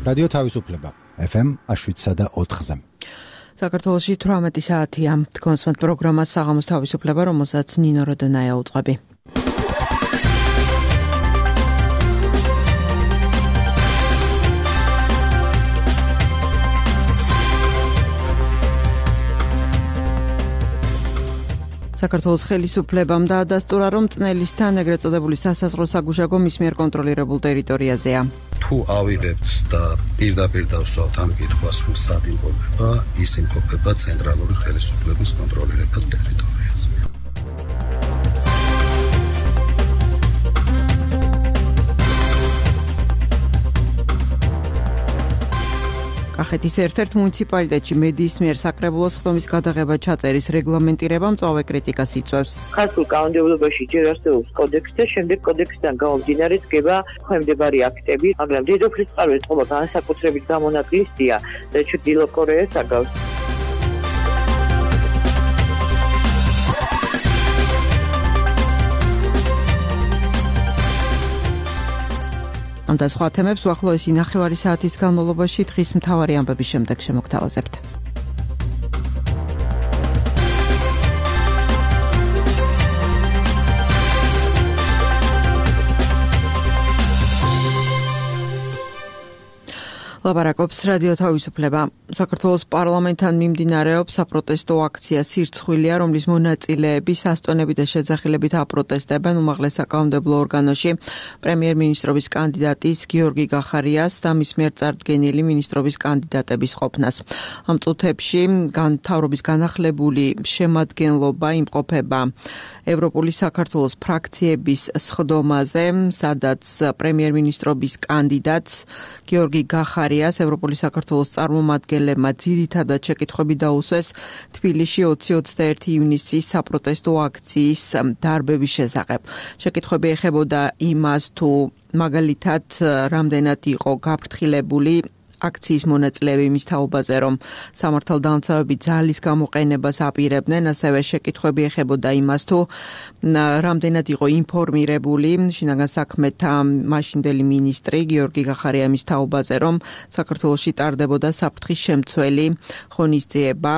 რადიო თავისუფლება FM 7.4-ზე. საქართველოში 18 საათია. კონსმეთ პროგრამა საღამოს თავისუფლება, რომელსაც ნინო როდონაია უძღვები. საქართველოს ხელისუფლებამ დაადასტურა, რომ წნელისთან ეგრეთ წოდებული სასაზღვრო საგუშაგო მის მიერ კონტროლირებულ ტერიტორიაზეა. თუ ავიღებთ და პირდაპირ დავსვათ ამ კითხვას, რომ სად იმყოფება, ის იმყოფება ცენტრალური ხელისუფლების კონტროლირებულ ტერიტორიაზე. კახეთის ერთ-ერთ მუნიციპალიტეტში მედიის მიერ საკრებულოს ხდომის გადაღება ჩაწერის რეგლამენტირება მწვავე კრიტიკას იწვევს. ქართულ კანონმდებლობაში ჯერ არსებობს კოდექსი და შემდეგ კოდექსიდან გამომდინარე დგება ქვემდებარე აქტები, მაგრამ დედოფლის წყაროების წყობა განსაკუთრებით გამონაკლისია და ჩრდილო კორეას აგავს. ამ და სხვა თემებს უახლოესი ნახევარი საათის განმავლობაში დღის მთავარი ამბების შემდეგ შემოგთავაზებთ. ლაპარაკობს რადიო თავისუფლება. საქართველოს პარლამენტთან მიმდინარეობს საპროტესტო აქცია სირცხვილია, რომლის მონაწილეები სასტონებით და შეძახილებით აპროტესტებენ უმაღლეს საკანონმდებლო ორგანოში პრემიერ-მინისტრობის კანდიდატის გიორგი გახარიას და მის მიერ წარდგენილი მინისტრობის კანდიდატების ყოფნას. ამ წუთებში მთავრობის განახლებული შემადგენლობა იმყოფება ევროპული საქართველოს ფრაქციების სხდომაზე, სადაც პრემიერ-მინისტრობის კანდიდატს გიორგი გახარიას ევროპული საქართველოს წარმომადგენლებმა ძირითადად შეკითხვები დაუსვეს თბილისში 20-21 ივნისის საპროტესტო აქციის დარბების შესახებ. შეკითხვები ეხებოდა იმას, თუ მაგალითად რამდენად იყო გაფრთხილებული აქციის მონაწილეები იმის თაობაზე, რომ სამართალდამცავები ძალის გამოყენებას აპირებდნენ, ასევე შეკითხვები ეხებოდა იმას, თუ რამდენად იყო ინფორმირებული შინაგან საქმეთა მაშინდელი მინისტრი გიორგი გახარია იმის თაობაზე, რომ საქართველოში ტარდებოდა საფრთხის შემცველი ღონისძიება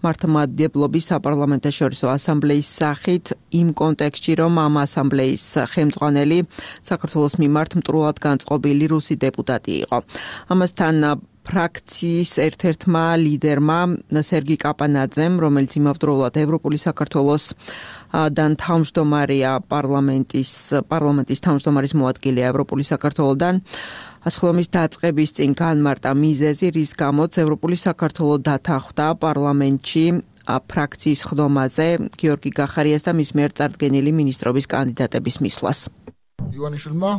მართლმადიდებლობის საპარლამენტაშორისო ასამბლეის სახით, იმ კონტექსტში, რომ ამ ასამბლეის ხელმძღვანელი საქართველოს მიმართ მტრულად განწყობილი რუსი დეპუტატი იყო. ამასთან ფრაქციის ერთ-ერთმა ლიდერმა სერგი კაპანაძემ, რომელიც იმავდროულად ევროპული საქართველოს და თავმჯდომარეა პარლამენტის თავმჯდომარის მოადგილეა ევროპული საქართველოდან, სხდომის დაწყების წინ განმარტა მიზეზი, რის გამოც ევროპული საქართველო დათანხმდა პარლამენტში ფრაქციის სხდომაზე გიორგი გახარიას და მის მიერ წარდგენილი მინისტრობის კანდიდატების მისვლას. ივანიშვილმა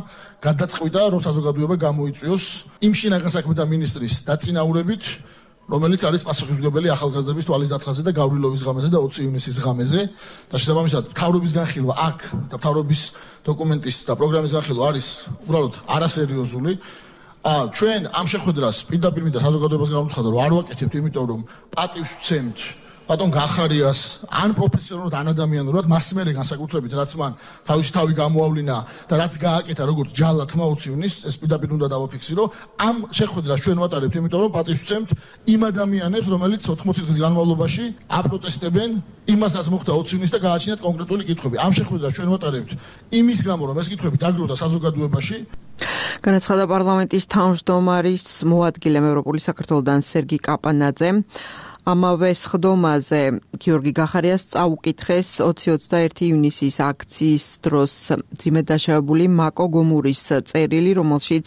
გადაწყვიტა, რომ საზოგადოება გამოიწვიოს იმ შინაგან საქმეთა მინისტრის დაწინაურებით, რომელიც არის პასუხისმგებელი ახალგაზრდების თვალის დათხრაზე და გავრილობის ღამეზე და 20 ივნისის ღამეზე და შესაბამისად მთავრობის განხილვა აქ და მთავრობის დოკუმენტის და პროგრამის განხილვა არის უბრალოდ არასერიოზული. ჩვენ ამ შეხვედრას პირდაპირ მინდა საზოგადოებას გამოვცხადო, რომ არ ვაკეთებთ, იმიტომ რომ პატივს ვცემთ ბატონ გახარიას ან პროფესიონალურად ან ადამიანურად მას მერე განსაკუთრებით რაც მან თავისი თავი გამოავლინა და რაც გააკეთა როგორც ჯალად 20 ივნისს, ეს პირდაპირ უნდა დავაფიქსირო. ამ შეხვედრას ჩვენ ვატარებთ, იმიტომ რომ პატივს ვცემთ იმ ადამიანებს, რომელიც 80 დღის განმავლობაში აპროტესტებენ იმას, რაც მოხდა 20 ივნისს და გააჩნიათ კონკრეტული კითხვები. ამ შეხვედრას ჩვენ ვატარებთ იმის გამო, რომ ეს კითხვები დაგროვდა საზოგადოებაში. განაცხადა პარლამენტის თავმჯდომარის მოადგილემ ევროპული საქართველოდან სერგი კაპანაძემ. ამავე სხდომაზე გიორგი გახარიას წაუკითხეს 20-21 ივნისის აქციის დროს ძიმედ დაშავებული მაკო გომურის წერილი, რომელშიც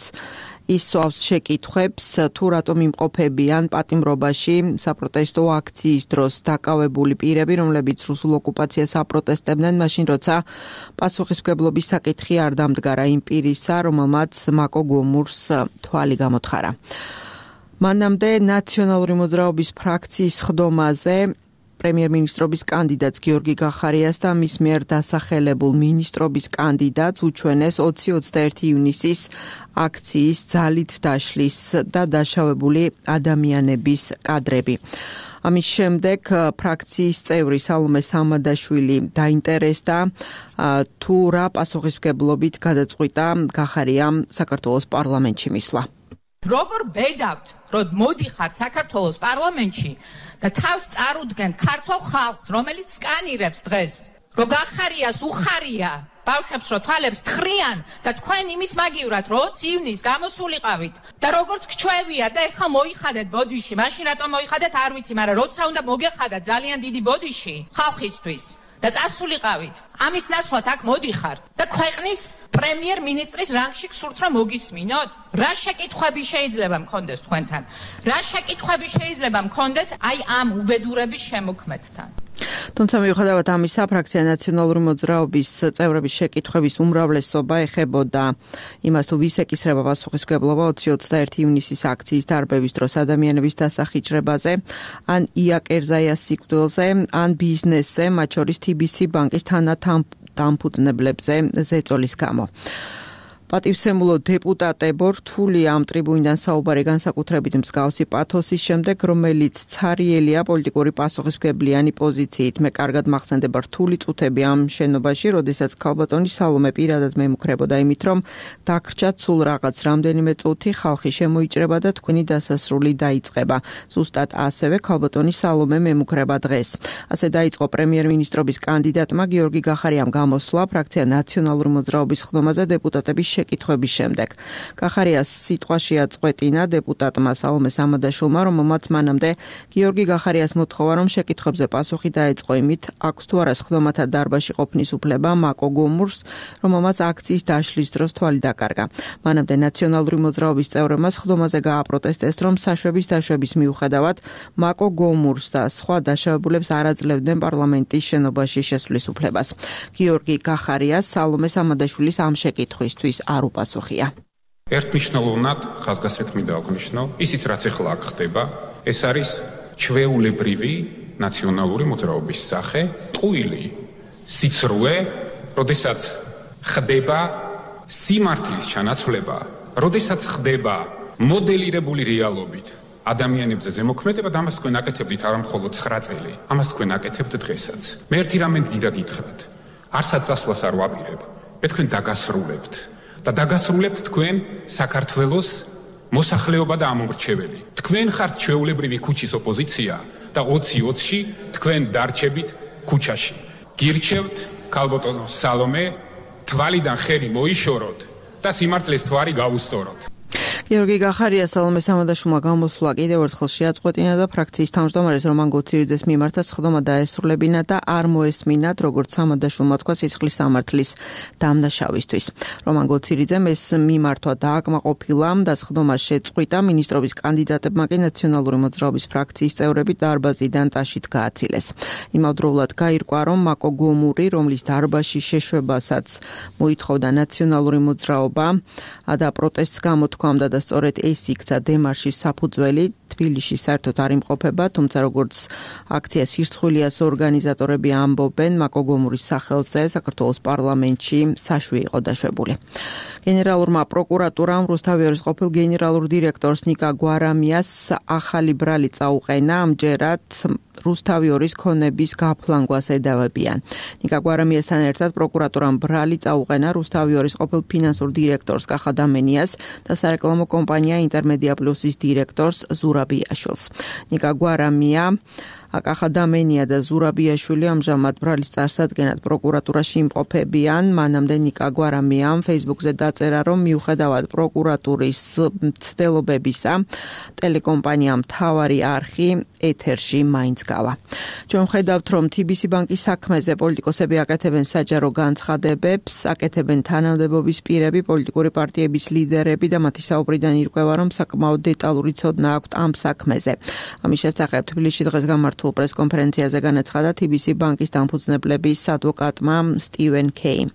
ის სვავს შეკითხვებს, თუ რატომ იმყოფებიან პატიმრობაში საპროტესტო აქციის დროს დაკავებული პირები, რომლებიც რუსულ ოკუპაციას აპროტესტებდნენ, მაშინ როცა პასუხისმგებლობის საკითხი არ დამდგარა იმ პირისა, რომელმაც მაკო გომურს თვალი გამოთხარა. მანამდე ნაციონალური მოძრაობის ფრაქციის სხდომაზე პრემიერ-მინისტრობის კანდიდატს გიორგი გახარიას და მის მიერ დასახელებულ მინისტრობის კანდიდატს უჩვენეს 20-21 ივნისის აქციის ძალით დაშლის და დაშავებული ადამიანების კადრები. ამის შემდეგ ფრაქციის წევრი სალომე სამადაშვილი დაინტერესდა თუ რა პასუხისმგებლობით გადაწყვიტა გახარიამ საქართველოს პარლამენტში მისვლა. როგორ ბედავთ, რომ მოდიხართ საქართველოს პარლამენტში და თავს წარუდგენთ ქართულ ხალხს, რომელიც სკანირებს დღეს, რომ გახარიას უხარია ბავშვებს რო თვალებს თხრიან და თქვენ იმის მაგივრად 20 ივნის გამოსულიყავით და როგორც გჩვევია და ერთხელ მოიხადეთ ბოდიში, მაშინ რატომ მოიხადეთ არ ვიცი, მაგრამ როცა უნდა მოგეხადათ ძალიან დიდი ბოდიში ხალხისთვის და წასულიყავით. ამის ნაცვლად აქ მოდიხართ და ქვეყნის პრემიერ-მინისტრის რანგში გსურთ რომ მოგისმინოთ? რა შეკითხვები შეიძლება მქონდეს თქვენთან? რა შეკითხვები შეიძლება მქონდეს აი ამ უბედურების შემოქმედთან? თუმცა მიუხედავად ამისა, ფრაქცია ნაციონალური მოძრაობის წევრების შეკითხვების უმრავლესობა ეხებოდა იმას, თუ ვის ეკისრება პასუხისმგებლობა 20-21 ივნისის აქციის დარბევის დროს ადამიანების დასახიჭრებაზე, ან ია კერზაიას სიკვდილზე, ან ბიზნესზე, მათ შორის TBC ბანკის თანადამფუძნებლებზე ზეწოლის გამო. პატივსემულო დეპუტატებო რთული ამ ტრიბუნიდან საუბარი განსაკუთრებით მსგავსი პათოსის შემდეგ, რომელიც ცარიელია პოლიტიკური პასუხისმგებლიანი პოზიციით. მე კარგად მახსენდება რთული წუთები ამ შენობაში, როდესაც ქალბატონი სალომე პირადად მემუქრებოდა იმით, რომ დაგრჩათ სულ რაღაც რამდენიმე წუთი, ხალხი შემოიჭრება და თქვენი დასასრული დაიწყება. ზუსტად ასევე ქალბატონი სალომე მემუქრება დღეს. ასე დაიწყო პრემიერ-მინისტრობის კანდიდატმა გიორგი გახარიამ გამოსვლა ფრაქცია ნაციონალური მოძრაობის ხდომაზე დეპუტატების შეკითხვების შემდეგ. გახარიას სიტყვაშია წყვეტინა დეპუტატმა სალომე სამადაშვილმა, რომელმაც მანამდე გიორგი გახარიას მოთხოვა, რომ შეკითხვებზე პასუხი დაეწყო იმით, აქვს თუ არა სხდომათა დარბაზში ყოფნის უფლება მაკო გომურს, რომელმაც აქციის დაშლის დროს თვალი დაკარგა. მანამდე ნაციონალური მოძრაობის წევრებმა სხდომაზე გააპროტესტეს, რომ საშვების დაშვების მიუხედავად მაკო გომურს და სხვა დაშავებულებს არ აძლევდნენ პარლამენტის შენობაში შესვლის უფლებას. გიორგი გახარიას სალომე სამადაშვილის ამ შეკითხვისთვის არ უპასუხია. ერთმნიშვნელოვნად ხაზგასმით მინდა აღნიშნო, ისიც რაც ახლა აქ ხდება, ეს არის ჩვეულებრივი ნაციონალური მოძრაობის სახე, ტყუილი სიცრუე, როდესაც ხდება სიმართლის ჩანაცვლება, როდესაც ხდება მოდელირებული რეალობით ადამიანებზე ზემოქმედება და ამას თქვენ აკეთებდით არა მხოლოდ 9 წელი, ამას თქვენ აკეთებთ დღესაც. მე ერთი რამე გინდა გითხრათ, არსად წასვლას არ ვაპირებ, მე თქვენ დაგასრულებთ და დაგასრულებთ თქვენ საქართველოს მოსახლეობა და ამომრჩეველი. თქვენ ხართ ჩვეულებრივი ქუჩის ოპოზიცია და 20-20-ში თქვენ დარჩებით ქუჩაში. გირჩევთ ქალბატონო სალომე, თვალიდან ხელი მოიშოროთ და სიმართლეს თვარი გაუსწოროთ. გიორგი გახარიას სალომე სამადაშვილმა გამოსვლა კიდევ ერთხელ შეაწყვეტინა და ფრაქციის თავმჯდომარეს რომან გოცირიძეს მიმართა სხდომა დაესრულებინა და არ მოესმინათ, როგორც სამადაშვილმა თქვა სისხლის სამართლის დამნაშავისთვის. რომან გოცირიძემ ეს მიმართვა დააკმაყოფილა და სხდომა შეწყვიტა, მინისტრობის კანდიდატებმა კი ნაციონალური მოძრაობის ფრაქციის წევრები დარბაზიდან ტაშით გააცილეს. იმავდროულად გაირკვა, რომ მაკო გომური, რომლის დარბაზში შეშვებასაც მოითხოვდა ნაციონალური მოძრაობა და პროტესტს გამოთქვამდა და სწორედ ეს იქცა დემარშის საფუძველი, თბილისში საერთოდ არ იმყოფება, თუმცა როგორც აქცია სირცხვილიას ორგანიზატორები ამბობენ, მაკო გომურის სახელზე საქართველოს პარლამენტში საშვი იყო დაშვებული. გენერალურმა პროკურატურამ რუსთავიორის ყოფილ გენერალურ დირექტორს ნიკა გვარამიას ახალი ბრალი წაუყენა, ამჯერად რუსთავიორის ქონების გაფლანგვას ედავებიან. ნიკა გვარამიასთან ერთად პროკურატურამ ბრალი წაუყენა რუსთავიორის ყოფილ ფინანსურ დირექტორს კახა დამენიას და სარეკლამო კომპანია ინტერმედია პლუსის დირექტორს ზურაბიაშვილს. ნიკა გვარამია, კახა დამენია და ზურაბიაშვილი ამჟამად ბრალის წარსადგენად პროკურატურაში იმყოფებიან. მანამდე ნიკა გვარამიამ Facebook-ზე დაწერა, რომ მიუხედავად პროკურატურის მცდელობებისა, ტელეკომპანიამ მთავარი არხი ეთერში მაინც გავა. ჩვენ ხედავთ, რომ TBC ბანკის საქმეზე პოლიტიკოსები აკეთებენ საჯარო განცხადებებს, აკეთებენ თანამდებობის პირები, პოლიტიკური პარტიების ლიდერები და მათი საუბრიდან ირკვევა, რომ საკმაოდ დეტალური ცოდნა აქვთ ამ საქმეზე. ამის შესახებ თბილისში დღეს გამართულ პრესკონფერენციაზე განაცხადა TBC ბანკის დამფუძნებლების ადვოკატმა სტივენ კეიმ.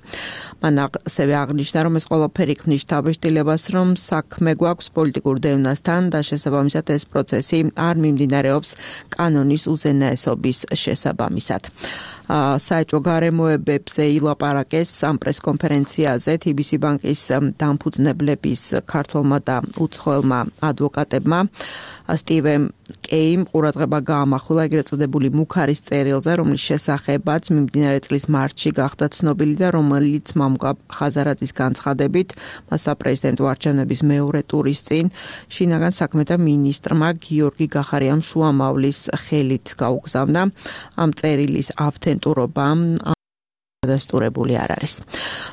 მან ასევე აღნიშნა, რომ ეს ყველაფერი ქმნის შთაბეჭდილებას, რომ საქმე გვაქვს პოლიტიკურ დევნასთან და შესაბამისად ეს პროცესი არ მიმდინარეობს კანონის უზენაესობის შესაბამისად. საეჭვო გარემოებებზე ილაპარაკეს ამ პრესკონფერენციაზე TBC ბანკის დამფუძნებლების ქართველმა და უცხოელმა ადვოკატებმა. სტივე კეიმ ყურადღება გაამახვილა ეგრეთ წოდებული მუქარის წერილზე, რომლის შესახებაც მიმდინარე წლის მარტში გახდა ცნობილი და რომელიც მამუკა ხაზარაძის განცხადებით მას საპრეზიდენტო არჩევნების მეორე ტურის წინ შინაგან საქმეთა მინისტრმა გიორგი გახარიამ შუამავლის ხელით გაუგზავნა. ამ წერილის ავთენტურობა დადასტურებული არ არის.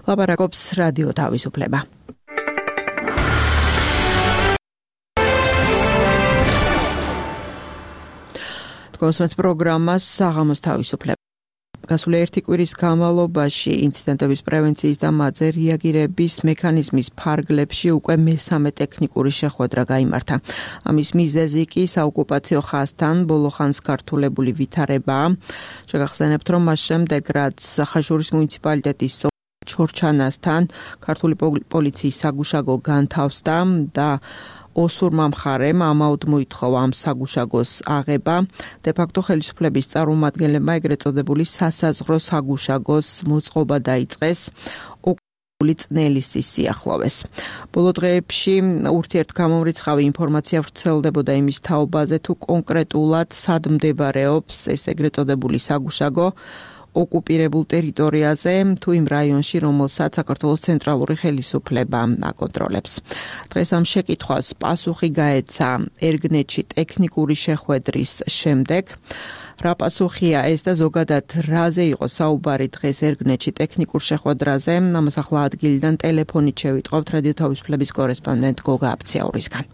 ლაპარაკობს რადიო თავისუფლება. კონსულტ პროგრამას საღამოს თავისუფლება. გასული ერთი კვირის განმავლობაში ინციდენტების პრევენციის და მათზე რეაგირების მექანიზმის ფარგლებში უკვე მესამე ტექნიკური შეხვედრა გაიმართა. ამის მიზეზი კი საოკუპაციო ხაზთან ბოლო ხანს გართულებული ვითარებაა. შეგახსენებთ, რომ მას შემდეგ რაც ხაშურის მუნიციპალიტეტის ჩორჩანასთან ქართული პოლიციის საგუშაგო განთავსდა და ოსურმა მხარემ ამაოდ მოითხოვა ამ საგუშაგოს აღება. დე-ფაქტო ხელისუფლების წარმომადგენლებმა ეგრეთ წოდებული სასაზღვრო საგუშაგოს მოწყობა დაიწყეს ოკუპირებული წნელისის სიახლოვეს. ბოლო დღეებში ურთიერთგამომრიცხავი ინფორმაცია ვრცელდებოდა იმის თაობაზე, თუ კონკრეტულად სად მდებარეობს ეს ეგრეთ წოდებული საგუშაგო ოკუპირებულ ტერიტორიაზე თუ იმ რაიონში, რომელსაც საქართველოს ცენტრალური ხელისუფლება აკონტროლებს. დღეს ამ შეკითხვას პასუხი გაეცა ერგნეთში ტექნიკური შეხვედრის შემდეგ. რა პასუხია ეს და ზოგადად რაზე იყო საუბარი დღეს ერგნეთში ტექნიკურ შეხვედრაზე? ამას ახლა ადგილიდან ტელეფონით შევიტყობთ რადიო თავისუფლების კორესპონდენტ გოგა აფციაურისგან.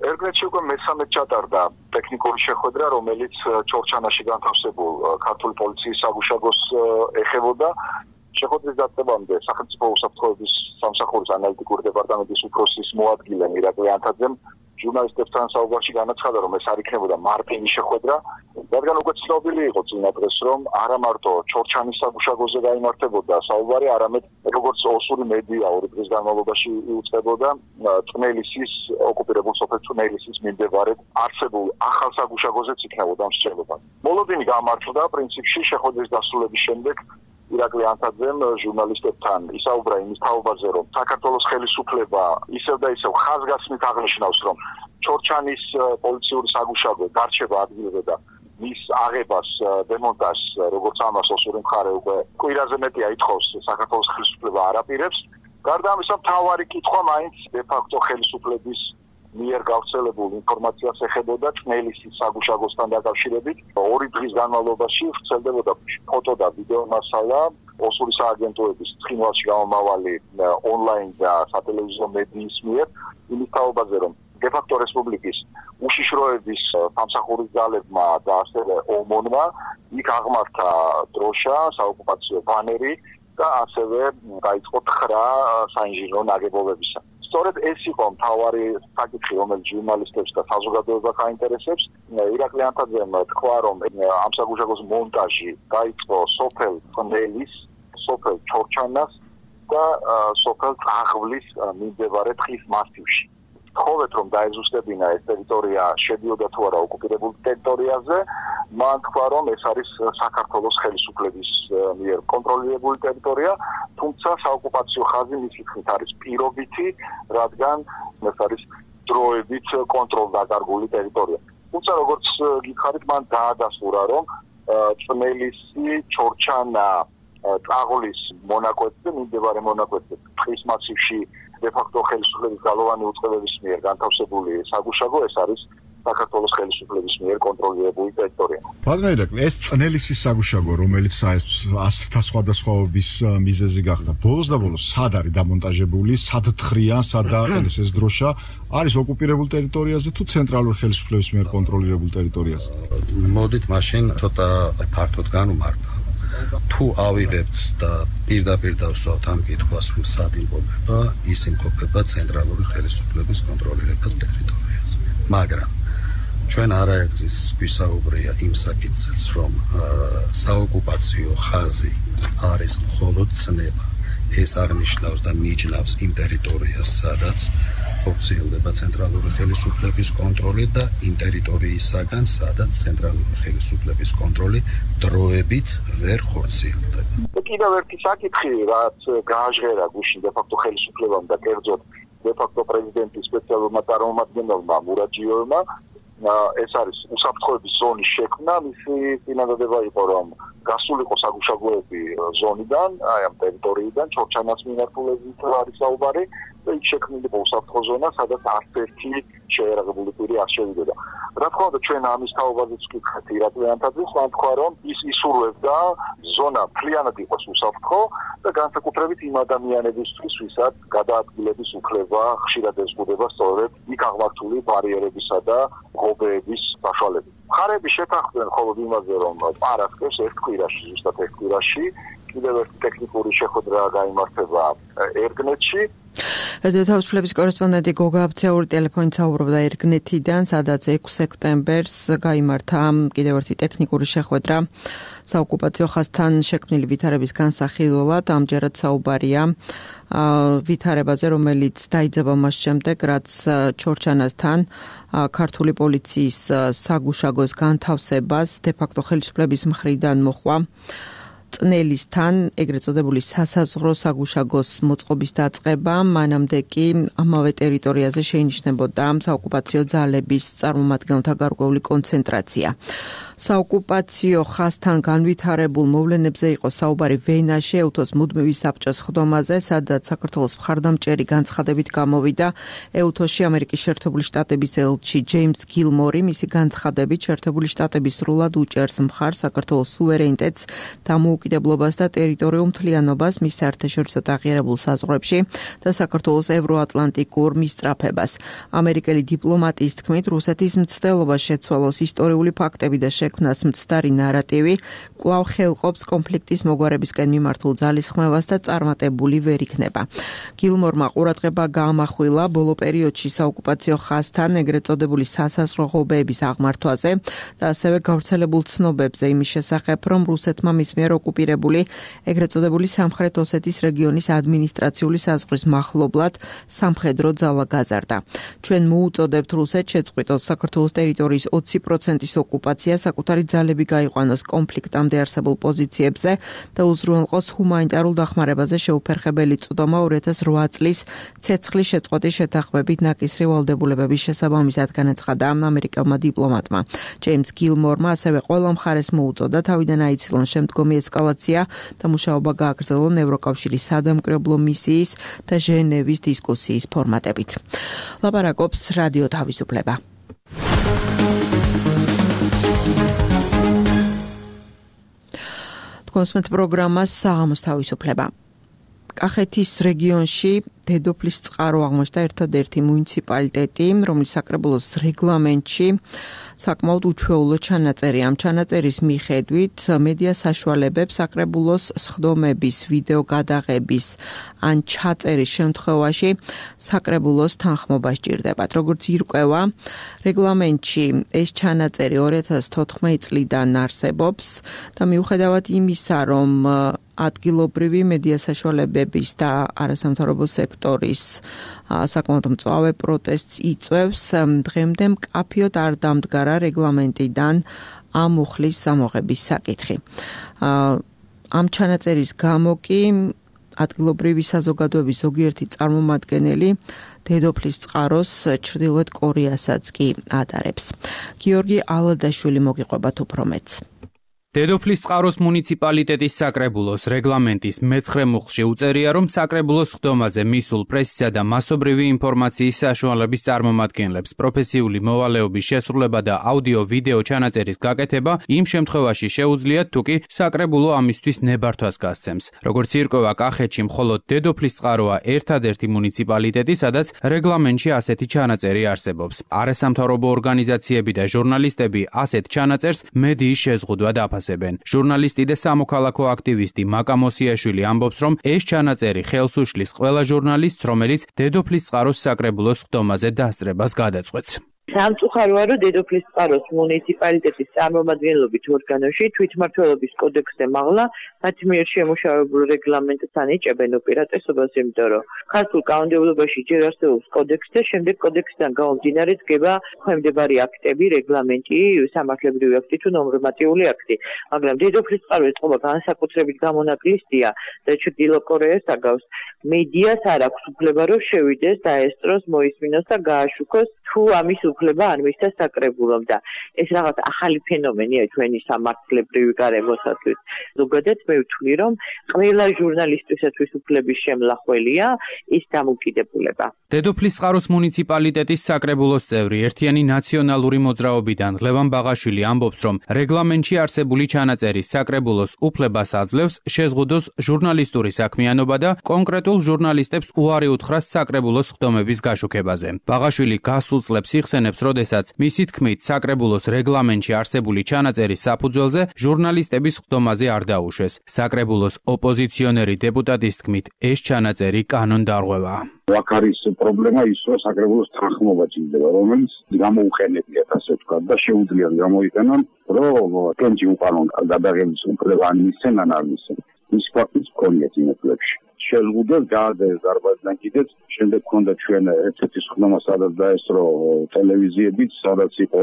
ერგნეთში უკვე მესამე ჩატარდა ტექნიკური შეხვედრა, რომელიც ჩორჩანაში განთავსებულ ქართული პოლიციის საგუშაგოს ეხებოდა. შეხვედრის დაწყებამდე სახელმწიფო უსაფრთხოების სამსახურის ანალიტიკური დეპარტამენტის უფროსის მოადგილე მირაკლი ანთაძემ ჟურნალისტებთან საუბარში განაცხადა, რომ ეს არ იქნებოდა მარტივი შეხვედრა, რადგან უკვე ცნობილი იყო წინა დღეს, რომ არა მარტო ჩორჩანის საგუშაგოზე გაიმართებოდა საუბარი, არამედ როგორც ოსური მედია ორი დღის განმავლობაში იუწყებოდა წნელისის ოკუპირებულ სოფელ წნელისის მიმდებარედ არსებულ ახალ საგუშაგოზეც იქნებოდა მსჯელობა. მოლოდინი გამართლდა პრინციპში შეხვედრის დასრულების შემდეგ. ირაკლი ანთაძემ ჟურნალისტებთან ისაუბრა იმის თაობაზე, რომ საქართველოს ხელისუფლება ისევ და ისევ ხაზგასმით აღნიშნავს, რომ ჩორჩანის პოლიციური საგუშაგო დარჩება ადგილზე და მის აღებას, დემონტაჟს, როგორც ამას ოსური მხარე უკვე კვირაზე მეტია ითხოვს, საქართველოს ხელისუფლება არ აპირებს. გარდა ამისა, მთავარი კითხვა მაინც დე-ფაქტო ხელისუფლების მიერ გავრცელებულ ინფორმაციას ეხებოდა წნელისის საგუშაგოსთან დაკავშირებით. ორი დღის განმავლობაში ვრცელდებოდა ფოტო და ვიდეო მასალა ოსური სააგენტოების ცხინვალში გამომავალი ონლაინ და სატელევიზიო მედიის მიერ იმის თაობაზე, რომ დე-ფაქტო რესპუბლიკის უშიშროების სამსახურის ძალებმა და ასევე ომონმა იქ აღმართა დროშა, საოკუპაციო ბანერი და ასევე დაიწყო თხრა საინჟინრო ნაგებობებისა. სწორედ ეს იყო მთავარი საკითხი, რომელიც ჟურნალისტებს და საზოგადოებას აინტერესებს. ირაკლი ანთაძემ თქვა, რომ ამ საგუშაგოს მონტაჟი დაიწყო სოფელ წნელის, სოფელ ჩორჩანას და სოფელ წაღვლის მიმდებარე ტყის მასივში. თხოვეთ, რომ დაეზუსტებინა ეს ტერიტორია შედიოდა თუ არა ოკუპირებულ ტერიტორიაზე. მან თქვა, რომ ეს არის საქართველოს ხელისუფლების მიერ კონტროლირებული ტერიტორია, თუმცა საოკუპაციო ხაზი მისი თქმით არის პირობითი, რადგან ეს არის დროებით კონტროლდაკარგული ტერიტორია. თუმცა როგორც გითხარით, მან დაადასტურა, რომ წნელისი, ჩორჩანა, წაღლის მონაკვეთზე, მიმდებარე მონაკვეთზე, ტყის მასივში დე-ფაქტო ხელისუფლების გალოვანი უწყებების მიერ განთავსებული საგუშაგო, ეს არის საქართველოს ხელისუფლების მიერ კონტროლირებული ტერიტორია. ბატონო ირაკლი, ეს წნელისის საგუშაგო, რომელიც ასთა სხვადასხვაობის მიზეზი გახდა, ბოლოს და ბოლოს სად არის დამონტაჟებული, სად თხრია, სად დააყენეს ეს დროშა, არის ოკუპირებულ ტერიტორიაზე თუ ცენტრალური ხელისუფლების მიერ კონტროლირებულ ტერიტორიაზე? მოდით მაშინ ცოტა ფართოდ განვმარტავ. თუ ავიღებთ და პირდაპირ დავსვათ ამ კითხვას, რომ სად იმყოფება, ის იმყოფება ცენტრალური ხელისუფლების კონტროლირებულ ტერიტორიაზე. მაგრამ ჩვენ არაერთგზის გვისაუბრია იმ საკითხზეც, რომ საოკუპაციო ხაზი არის მხოლოდ ცნება. ეს აღნიშნავს და მიჯნავს იმ ტერიტორიას, სადაც ხორციელდება ცენტრალური ხელისუფლების კონტროლი და იმ ტერიტორიისაგან, სადაც ცენტრალური ხელისუფლების კონტროლი დროებით ვერ ხორციელდება. კიდევ ერთი საკითხი, რაც გააჟღერა გუშინ დე-ფაქტო ხელისუფლებამ და კერძოდ დე-ფაქტო პრეზიდენტის სპეციალურმა წარმომადგენელმა მურაჯიოვმა, ეს არის უსაფრთხოების ზონის შექმნა, მისი წინადადება იყო, რომ გასულიყო საგუშაგოები ზონიდან, აი ამ ტერიტორიიდან, ჩორჩანას მიმართულებით არის საუბარი, და იქ შექმნილიყო უსაფრთხო ზონა, სადაც არც ერთი შეერაღებული პირი არ შევიდოდა. რა თქმა უნდა, ჩვენ ამის თაობაზეც ვკითხეთ ირაკლი ანთაძეს, მან თქვა, რომ ის ისურვებდა ზონა მთლიანად იყოს უსაფრთხო და განსაკუთრებით იმ ადამიანებისთვის, ვისაც გადაადგილების უფლება ხშირად ეზღუდება სწორედ იქ აღმართული ბარიერებისა და ღობეების საშუალებით. მხარეები შეთანხმდნენ მხოლოდ იმაზე, რომ პარასკევს ერთ კვირაში, ზუსტად ერთ კვირაში, კიდევ ერთი ტექნიკური შეხვედრა გაიმართება ერგნეთში. რადიო თავისუფლების კორესპონდენტი გოგა აბცაური ტელეფონით საუბრობდა ერგნეთიდან, სადაც 6 სექტემბერს გაიმართა კიდევ ერთი ტექნიკური შეხვედრა საოკუპაციო ხაზთან შექმნილი ვითარების განსახილველად. ამჯერად საუბარია ვითარებაზე, რომელიც დაიძაბა მას შემდეგ, რაც ჩორჩანასთან ქართული პოლიციის საგუშაგოს განთავსებას დე-ფაქტო ხელისუფლების მხრიდან მოხვა. წნელისთან ეგრეთ წოდებული სასაზღვრო საგუშაგოს მოწყობის დაწყება, მანამდე კი ამავე ტერიტორიაზე შეინიშნებოდა საოკუპაციო ძალების წარმომადგენელთა გარკვეული კონცენტრაცია. საოკუპაციო ხაზთან განვითარებულ მოვლენებზე იყო საუბარი ვენაში, ეუთოს მუდმივი საბჭოს ხდომაზე, სადაც საქართველოს მხარდამჭერი განცხადებით გამოვიდა ეუთოში ამერიკის შეერთებული შტატების ელჩი ჯეიმს გილმორი. მისი განცხადებით შეერთებული შტატები სრულად უჭერს მხარს საქართველოს სუვერენიტეტს, დამოუკიდებლობას და ტერიტორიულ მთლიანობას მის საერთაშორისო აღიარებულ საზღვრებში და საქართველოს ევროატლანტიკურ მისწრაფებას. ამერიკელი დიპლომატის თქმით, რუსეთის მცდელობა შეცვალოს ისტორიული ფაქტები და შექმნას მცდარი ნარატივი, კვლავ ხელყოფს კონფლიქტის მოგვარებისკენ მიმართულ ძალისხმევას და წარმატებული ვერ იქნება. გილმორმა ყურადღება გაამახვილა ბოლო პერიოდში საოკუპაციო ხაზთან ეგრეთ წოდებული სასაზღვრო ღობეების აღმართვაზე და ასევე გავრცელებულ ცნობებზე იმის შესახებ, რომ რუსეთმა მის მიერ ოკუპირებული ეგრეთ წოდებული სამხრეთ ოსეთის რეგიონის ადმინისტრაციული საზღვრის მახლობლად სამხედრო ძალა გაზარდა. ჩვენ მოუწოდებთ რუსეთს შეწყვიტოს საქართველოს ტერიტორიის 20%-ის ოკუპაცია, საკუთარი ძალები გაიყვანოს კონფლიქტამდე არსებულ პოზიციებზე და უზრუნველყოს ჰუმანიტარულ დახმარებაზე შეუფერხებელი წვდომა 2008 წლის ცეცხლის შეწყვეტის შეთანხმებით ნაკისრი ვალდებულებების შესაბამისად განაცხადა ამერიკელმა დიპლომატმა. ჯეიმს გილმორმა ასევე ყველა მხარეს მოუწოდა თავიდან აიცილონ შემდგომი ესკალაცია და მუშაობა გააგრძელონ ევროკავშირის სადამკვირვებლო მისიის და ჟენევის დისკუსიის ფორმატებით. ლაპარაკობს რადიო თავისუფლება. კონსმეთ პროგრამას საღამოს თავისუფლება. კახეთის რეგიონში დედოფლის წყარო აღმოჩნდა ერთადერთი მუნიციპალიტეტი, რომლის საკრებულოს რეგლამენტში საკმაოდ უჩვეულო ჩანაწერია. ამ ჩანაწერის მიხედვით მედია საშუალებებს საკრებულოს სხდომების ვიდეო გადაღების ან ჩაწერის შემთხვევაში საკრებულოს თანხმობა სჭირდებათ. როგორც ირკვევა, რეგლამენტში ეს ჩანაწერი 2014 წლიდან არსებობს და მიუხედავად იმისა, რომ ადგილობრივი მედია საშუალებების და არასამთავრობო სექტორის საკმაოდ მწვავე პროტესტს იწვევს, დღემდე მკაფიოდ არ დამდგარა რეგლამენტიდან ამ მუხლის ამოღების საკითხი. ამ ჩანაწერის გამო კი ადგილობრივი საზოგადოების ზოგიერთი წარმომადგენელი დედოფლის წყაროს ჩრდილოეთ კორეასაც კი ადარებს. გიორგი ალადაშვილი მოგიყვებათ უფრო მეც. დედოფლის წყაროს მუნიციპალიტეტის საკრებულოს რეგლამენტის მე-9 მუხლში უწერია, რომ საკრებულოს სხდომაზე მისულ პრესისა და მასობრივი ინფორმაციის საშუალების წარმომადგენლებს პროფესიული მოვალეობის შესრულება და აუდიო-ვიდეო ჩანაწერის გაკეთება იმ შემთხვევაში შეუძლიათ, თუკი საკრებულო ამისთვის ნებართვას გასცემს. როგორც ირკვევა, კახეთში მხოლოდ დედოფლის წყაროა ერთადერთი მუნიციპალიტეტი, სადაც რეგლამენტში ასეთი ჩანაწერი არსებობს. არასამთავრობო ორგანიზაციები და ჟურნალისტები ასეთ ჩანაწერს მედიის შეზღუდვად აფასებენ. ჟურნალისტი და სამოქალაქო აქტივისტი მაკა მოსიაშვილი ამბობს, რომ ეს ჩანაწერი ხელს უშლის ყველა ჟურნალისტს, რომელიც დედოფლის წყაროს საკრებულოს სხდომაზე დასწრებას გადაწყვეტს. სამწუხაროა, რომ დედოფლის წყაროს მუნიციპალიტეტის წარმომადგენლობით ორგანოში თვითმმართველობის კოდექსზე მაღლა მათი მიერ შემუშავებულ რეგლამენტთან იჭებენ უპირატესობას, იმიტომ რომ ქართულ კანონმდებლობაში ჯერ არსებობს კოდექსი და შემდეგ კოდექსიდან გამომდინარე დგება ხმდებარი აქტები, რეგლამენტი, სამართლებრივი აქტი თუ ნორმატიული აქტი. მაგრამ დედოფლის წყაროს წყობა განსაკუთრებით გამონაკლისია და ჩრდილო კორეას აგავს. მედიას არ აქვს უფლება, რომ შევიდეს, დაესწროს, მოისმინოს და გააშუქოს თუ ამის უფლება არ მისცა საკრებულომ და ეს რაღაც ახალი ფენომენია ჩვენი სამართლებრივი გარემოსათვის. ზოგადად მე ვთვლი, რომ ყველა ჟურნალისტისათვის უფლების შემლახველია ის დამოუკიდებულება. დედოფლის წყაროს მუნიციპალიტეტის საკრებულოს წევრი ერთიანი ნაციონალური მოძრაობიდან ლევან ბაღაშვილი ამბობს, რომ რეგლამენტში არსებული ჩანაწერი საკრებულოს უფლებას აძლევს შეზღუდოს ჟურნალისტური საქმიანობა და კონკრეტულ ჟურნალისტებს უარი უთხრას საკრებულოს ხდომების გაშუქებაზე. ბაღაშვილი გასულ წლებს იხსენებს, როდესაც მისი თქმით საკრებულოს რეგლამენტში არსებული ჩანაწერის საფუძველზე ჟურნალისტების ხდომაზე არ დაუშვეს. საკრებულოს ოპოზიციონერი დეპუტატის თქმით, ეს ჩანაწერი კანონდარღვევაა. აქ არის პრობლემა ის, რომ საკრებულოს თანხმობა ჭირდება, რომელიც გამოუყენებიათ, ასე ვთქვათ, და შეუძლიათ გამოიყენონ, რომ კენჭი უკანონ გადაღების უფლება ან მისცენ ან არ მისცენ. ის ფაქტიც გქონიათ იმ წლებში. შეზღუდოს გააძევეს დარბაზიდან კიდეც, შემდეგ ჰქონდა ჩვენ ერთ-ერთი ხდომა, სადაც დაესწრო ტელევიზიებიც, სადაც იყო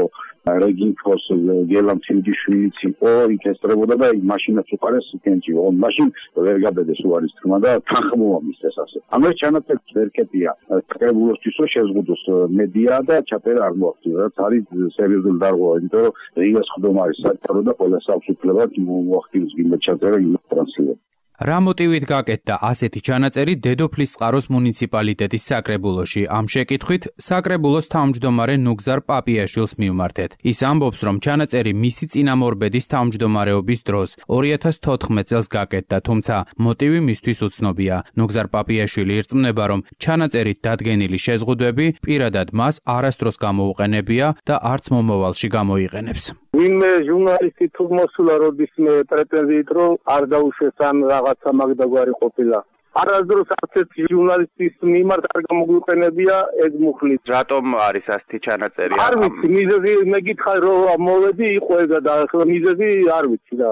რეგინფოს გელამ თილჯიშვილიც იყო, იქ ესწრებოდა და მაშინაც უყარეს კენჭი. მაშინ ვერ გაბედეს უარის თქმა და თანხმობა მისცეს ასე. ამას ჩანაწერს ვერ კეტია საკრებულოსთვის, რომ შეზღუდოს მედია და ჩაწერა არ მოახდინა, რაც არის სერიოზული დარღვევა, იმიტომ რომ რიგას ხდომა არის საერთო და ყველა აქვს უფლება მოახდინოს გინდა ჩაწერა იმ ტრანსლირება. რა მოტივით გაკეთდა ასეთი ჩანაწერი დედოფლის წყაროს მუნიციპალიტეტის საკრებულოში? ამ შეკითხვით საკრებულოს თავმჯდომარე ნუგზარ პაპიაშვილს მივმართეთ. ის ამბობს, რომ ჩანაწერი მისი წინამორბედის თავმჯდომარეობის დროს 2014 წელს გაკეთდა, თუმცა მოტივი მისთვის უცნობია. ნუგზარ პაპიაშვილი ირწმუნება, რომ ჩანაწერით დადგენილი შეზღუდვები პირადად მას არასდროს გამოუყენებია და არც მომავალში გამოიყენებს. ვინმე ჟურნალისტი თუ მოსულა როდისმე პრეტენზიით, რომ არ დაუშვეს ან რაღაცა მაგდაგვარი ყოფილა. არასდროს არც ერთი ჟურნალისტის მიმართ არ გამოგვიყენებია ეს მუხლით. რატომ არის ასეთი ჩანაწერი? არ ვიცი, მიზეზი მე გითხარ რომ მოვედი იყო ეგა და ახლა მიზეზი არ ვიცი და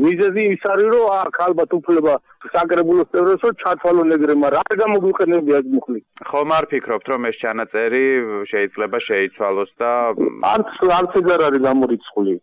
მიზეზი ის არის რომ აქ ალბათ უფლება საკრებულოს წევრებს რომ ჩათვალონ ეგრე, მაგრამ არ გამოგვიყენებია ეს მუხლით. ხომ არ ფიქრობთ, რომ ეს ჩანაწერი შეიძლება შეიცვალოს და არც ეგ არ არის გამორიცხული.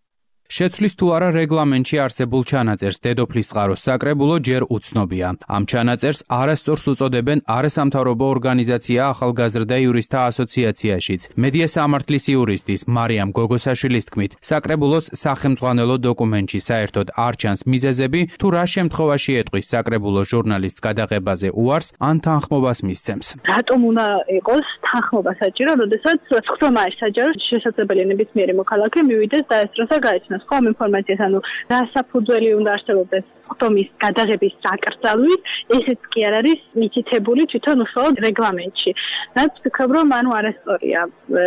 შეცვლის თუ არა რეგლამენტში არსებულ ჩანაწერს დედოფლის წყაროს საკრებულო ჯერ უცნობია. ამ ჩანაწერს არასწორს უწოდებენ არასამთავრობო ორგანიზაცია ახალგაზრდა იურისტთა ასოციაციაშიც. მედია სამართლის იურისტის მარიამ გოგოსაშვილის თქმით, საკრებულოს სახელმძღვანელო დოკუმენტში საერთოდ არ ჩანს მიზეზები, თუ რა შემთხვევაში ეტყვის საკრებულო ჟურნალისტს გადაღებაზე უარს ან თანხმობას მისცემს. რატომ უნდა იყოს თანხმობა საჭირო, როდესაც ხდომა არის საჯარო, შესაძლებელია ნებისმიერი მოქალაქე მივიდეს დაესწროს და გაეცნოს ხომ ინფორმაციას, ანუ რა საფუძველი უნდა არსებობდეს ხდომის გადაღების საკრძალვით, ესეც კი არ არის მითითებული თვითონ უშუალოდ რეგლამენტში. რაც ვფიქრობ, რომ ანუ არასწორია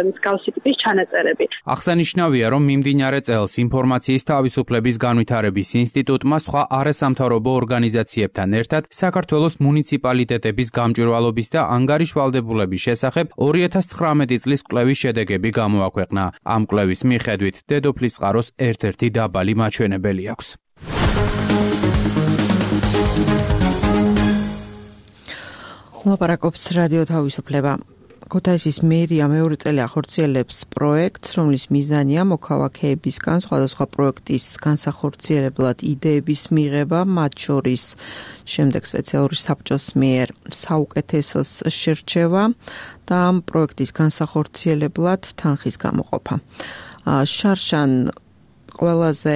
მსგავსი ტიპის ჩანაწერები. აღსანიშნავია, რომ მიმდინარე წელს ინფორმაციის თავისუფლების განვითარების ინსტიტუტმა სხვა არასამთავრობო ორგანიზაციებთან ერთად საქართველოს მუნიციპალიტეტების გამჭვირვალობის და ანგარიშვალდებულების შესახებ 2019 წლის კვლევის შედეგები გამოაქვეყნა. ამ კვლევის მიხედვით დედოფლის წყაროს ერთ-ერთი დაბალი მაჩვენებელი აქვს. ლაპარაკობს რადიო თავისუფლება. ქუთაისის მერია მეორე წელი ახორციელებს პროექტს, რომლის მიზანია მოქალაქეებისგან სხვადასხვა პროექტის განსახორციელებლად იდეების მიღება, მათ შორის შემდეგ სპეციალური საბჭოს მიერ საუკეთესოს შერჩევა და ამ პროექტის განსახორციელებლად თანხის გამოყოფა. შარშან ყველაზე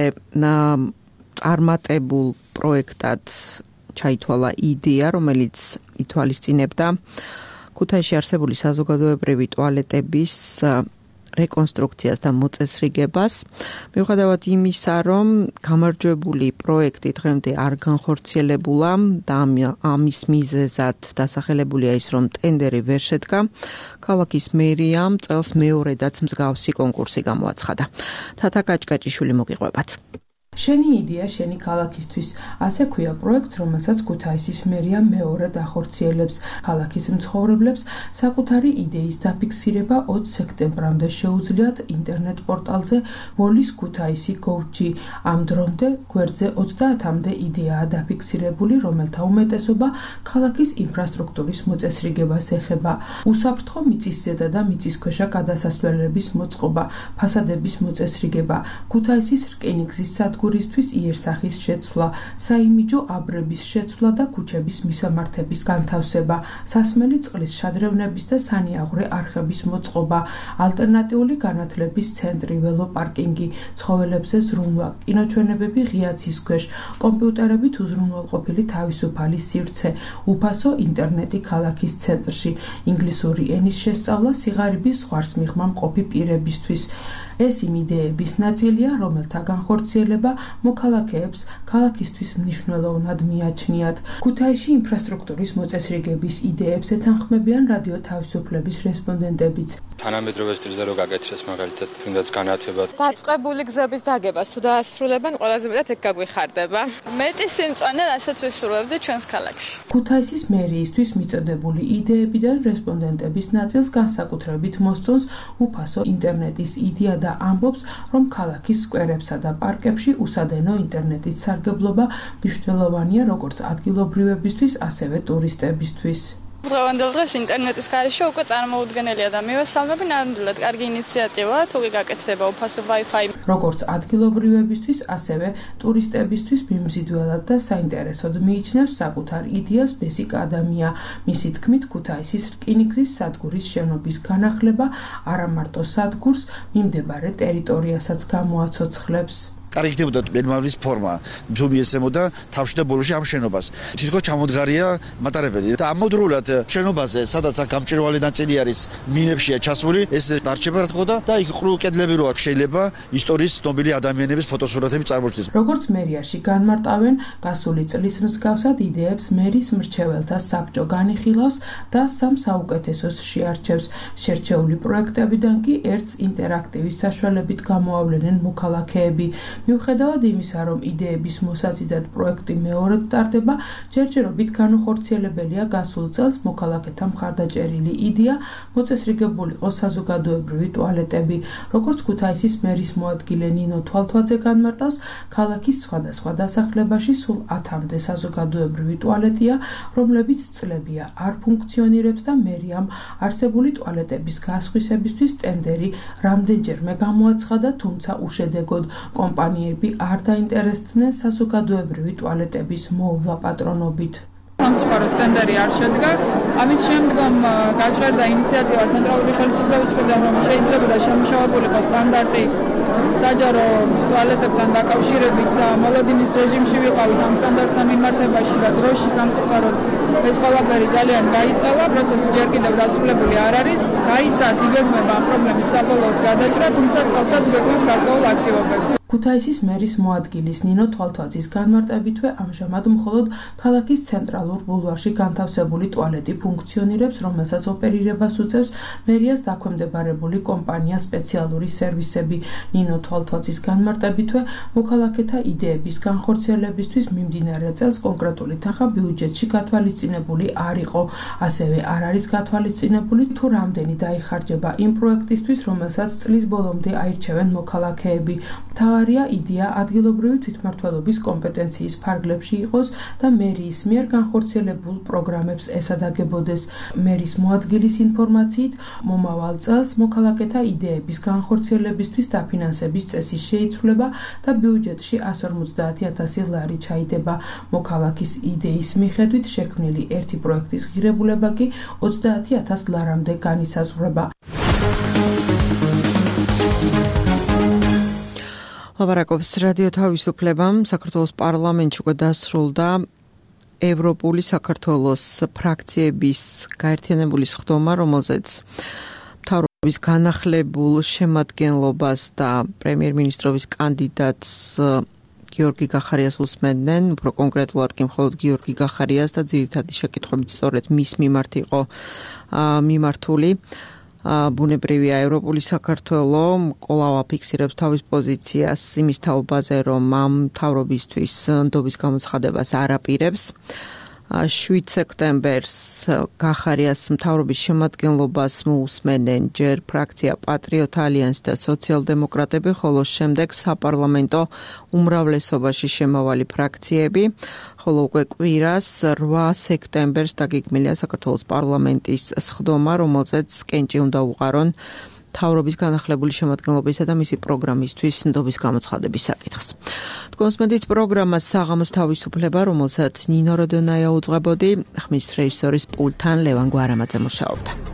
წარმატებულ პროექტად ჩაითვალა იდეა, რომელიც ითვალისწინებდა ქუთაისში არსებული საზოგადოებრივი ტუალეტების რეკონსტრუქციას და მოწესრიგებას. მიუხედავად იმისა, რომ გამარჯვებული პროექტი დღემდე არ განხორციელებულა და ამის მიზეზად დასახელებულია ის, რომ ტენდერი ვერ შედგა, ქალაქის მერიამ წელს მეორედაც მსგავსი კონკურსი გამოაცხადა. თათა კაჭკაჭიშვილი მოგიყვებათ. შენი იდეა, შენი ქალაქისთვის, ასე ქვია პროექტს, რომელსაც ქუთაისის მერია მეორედ ახორციელებს ქალაქის მცხოვრებლებს, საკუთარი იდეის დაფიქსირება 20 სექტემბრამდე შეუძლიათ ინტერნეტ პორტალზე ვოლის ქუთაისი.gov.g. ამ დრომდე გვერდზე 30-მდე იდეაა დაფიქსირებული, რომელთა უმეტესობა ქალაქის ინფრასტრუქტურის მოწესრიგებას ეხება. უსაფრთხო მიწისზედა და მიწისქვეშა გადასასვლელების მოწყობა, ფასადების მოწესრიგება, ქუთაისის რკინიგზის სადგური სადგურისთვის იერსახის შეცვლა, საიმიჯო აბრების შეცვლა და ქუჩების მისამართების განთავსება, სასმელი წყლის შადრევნების და სანიაღვრე არხების მოწყობა, ალტერნატიული განათლების ცენტრი, ველოპარკინგი, ცხოველებზე ზრუნვა, კინოჩვენებები ღია ცის ქვეშ, კომპიუტერებით უზრუნველყოფილი თავისუფალი სივრცე, უფასო ინტერნეტი ქალაქის ცენტრში, ინგლისური ენის შესწავლა სიღარიბის ზღვარს მიღმა მყოფი პირებისთვის. ეს იმ იდეების ნაწილია, რომელთა განხორციელება მოქალაქეებს ქალაქისთვის მნიშვნელოვნად მიაჩნიათ. ქუთაისში ინფრასტრუქტურის მოწესრიგების იდეებს ეთანხმებიან რადიო თავისუფლების რესპონდენტებიც. თანამედროვე სტილზე რო გაკეთდეს მაგალითად, თუნდაც განათება. დაწყებული გზების დაგებას თუ დაასრულებენ, ყველაზე მეტად ეგ გაგვიხარდება. მეტი სიმწვანე, რასაც ვისურვებდი ჩვენს ქალაქში. ქუთაისის მერიისთვის მიწოდებული იდეებიდან რესპონდენტების ნაწილს განსაკუთრებით მოსწონს უფასო ინტერნეტის იდეა და ამბობს, რომ ქალაქის სკვერებსა და პარკებში უსადენო ინტერნეტის სარგებლობა მნიშვნელოვანია როგორც ადგილობრივებისთვის, ასევე ტურისტებისთვის. დღევანდელ დღეს ინტერნეტის გარეშე უკვე წარმოუდგენელია და მივესალმები ნამდვილად კარგი ინიციატივაა, თუ გაკეთდება უფასო Wi-Fi. როგორც ადგილობრივებისთვის, ასევე ტურისტებისთვის მიმზიდველად და საინტერესოდ მიიჩნევს საკუთარ იდეას ბესიკ ადამია. მისი თქმით, ქუთაისის რკინიგზის სადგურის შენობის განახლება არა მარტო სადგურს, მიმდებარე ტერიტორიასაც გამოაცოცხლებს. კარგი ხდებოდა მერმავლის ფორმა, თუ მიესწემოდა თავში და ბოლოში ამ შენობას. თითქოს ჩამოდგარია მატარებელი და ამოდროულად შენობაზე, სადაც აქ გამჭვირვალე ნაწილი არის, მინებშია ჩასული, ეს დარჩება რა თქმა უნდა და იქ ყრუ კედლები როა შეიძლება ისტორიის ცნობილი ადამიანების ფოტოსურათები წარმოჩნდეს. როგორც მერიაში განმარტავენ, გასული წლის მსგავსად იდეებს მერის მრჩეველთა საბჭო განიხილავს და სამ საუკეთესოს შეარჩევს. შერჩეული პროექტებიდან კი ერთს ინტერაქტივის საშუალებით გამოავლენენ მოქალაქეები. მიუხედავად იმისა, რომ იდეების მოსაზიდად პროექტი მეორედ ტარდება, ჯერჯერობით განუხორციელებელია გასულ წელს მოქალაქეთა მხარდაჭერილი იდეა მოწესრიგებულიყო საზოგადოებრივი ტუალეტები. როგორც ქუთაისის მერის მოადგილე ნინო თვალთვაძე განმარტავს, ქალაქის სხვადასხვა დასახლებაში სულ 10-მდე საზოგადოებრივი ტუალეტია, რომლებიც წლებია არ ფუნქციონირებს და მერიამ არსებული ტუალეტების გასხვისებისთვის ტენდერი რამდენჯერმე გამოაცხადა, თუმცა უშედეგოდ. კომპანიები არ დაინტერესდნენ საზოგადოებრივი ტუალეტების მოვლა პატრონობით. სამწუხაროდ ტენდერი არ შედგა. ამის შემდგომ გაჟღერდა ინიციატივა ცენტრალური ხელისუფლების მხრიდან, რომ შეიძლებოდა შემუშავებულიყო სტანდარტი საჯარო ტუალეტებთან დაკავშირებით და მოლოდინის რეჟიმში ვიყავით ამ სტანდარტთან მიმართებაში და დროში სამწუხაროდ ეს ყველაფერი ძალიან გაიწელა, პროცესი ჯერ კიდევ დასრულებული არ არის. გაისად იგეგმება ამ პრობლემის საბოლოოდ გადაჭრა, თუმცა წელსაც გვეკვირთ გარკვეულ აქტივობებს. ქუთაისის მერის მოადგილის ნინო თვალთვაძის განმარტებითვე ამჟამად მხოლოდ ქალაქის ცენტრალურ ბულვარში განთავსებული ტუალეტი ფუნქციონირებს, რომელსაც ოპერირებას უწევს მერიას დაქვემდებარებული კომპანია სპეციალური სერვისები. ნინო თვალთვაძის განმარტებითვე მოქალაქეთა იდეების განხორციელებისთვის მიმდინარე წელს კონკრეტული თანხა ბიუჯეტში გათვალისწინებული არ იყო. ასევე არ არის გათვალისწინებული თუ რამდენი დაიხარჯება იმ პროექტისთვის, რომელსაც წლის ბოლომდე აირჩევენ მოქალაქეები. მთავარია იდეა ადგილობრივი თვითმმართველობის კომპეტენციის ფარგლებში იყოს და მერიის მიერ განხორციელებულ პროგრამებს ესადაგებოდეს. მერის მოადგილის ინფორმაციით, მომავალ წელს მოქალაქეთა იდეების განხორციელებისთვის დაფინანსების წესი შეიცვლება და ბიუჯეტში 150,000 ლარი ჩაიდება. მოქალაქის იდეის მიხედვით შექმნილი ერთი პროექტის ღირებულება კი 30,000 ლარამდე განისაზღვრება. ლაპარაკობს რადიო თავისუფლებამ. საქართველოს პარლამენტში უკვე დასრულდა ევროპული საქართველოს ფრაქციების გაერთიანებული სხდომა, რომელზეც მთავრობის განახლებულ შემადგენლობას და პრემიერ-მინისტრობის კანდიდატს გიორგი გახარიას უსმენდნენ, უფრო კონკრეტულად კი მხოლოდ გიორგი გახარიას და ძირითადი შეკითხვებით სწორედ მის მიმართ იყო მიმართული. ბუნებრივია ევროპული საქართველო კვლავ აფიქსირებს თავის პოზიციას იმის თაობაზე, რომ ამ მთავრობისთვის ნდობის გამოცხადებას არ აპირებს. 7 სექტემბერს გახარიას მთავრობის შემადგენლობას მოусმენენ ჯერ ფრაქცია პატრიოტ ალიანსი და სოციალ-დემოკრატები, ხოლო შემდეგ საპარლამენტო უმრავლესობაში შემავალი ფრაქციები, ხოლო უკვე კვირას 8 სექტემბერს დაგეგმილია საქართველოს პარლამენტის სხდომა, რომელზეც კენჭი უნდა უყარონ მთავრობის განახლებული შემადგენლობისა და მისი პროგრამისთვის ნდობის გამოცხადების საკითხს. კონსმედით პროგრამა საღამოს თავისუფლება, რომელსაც ნინო როდონაია უძღვებოდი, ხმის რეჟისორის პულტთან ლევან გვარამაძე მუშაობდა.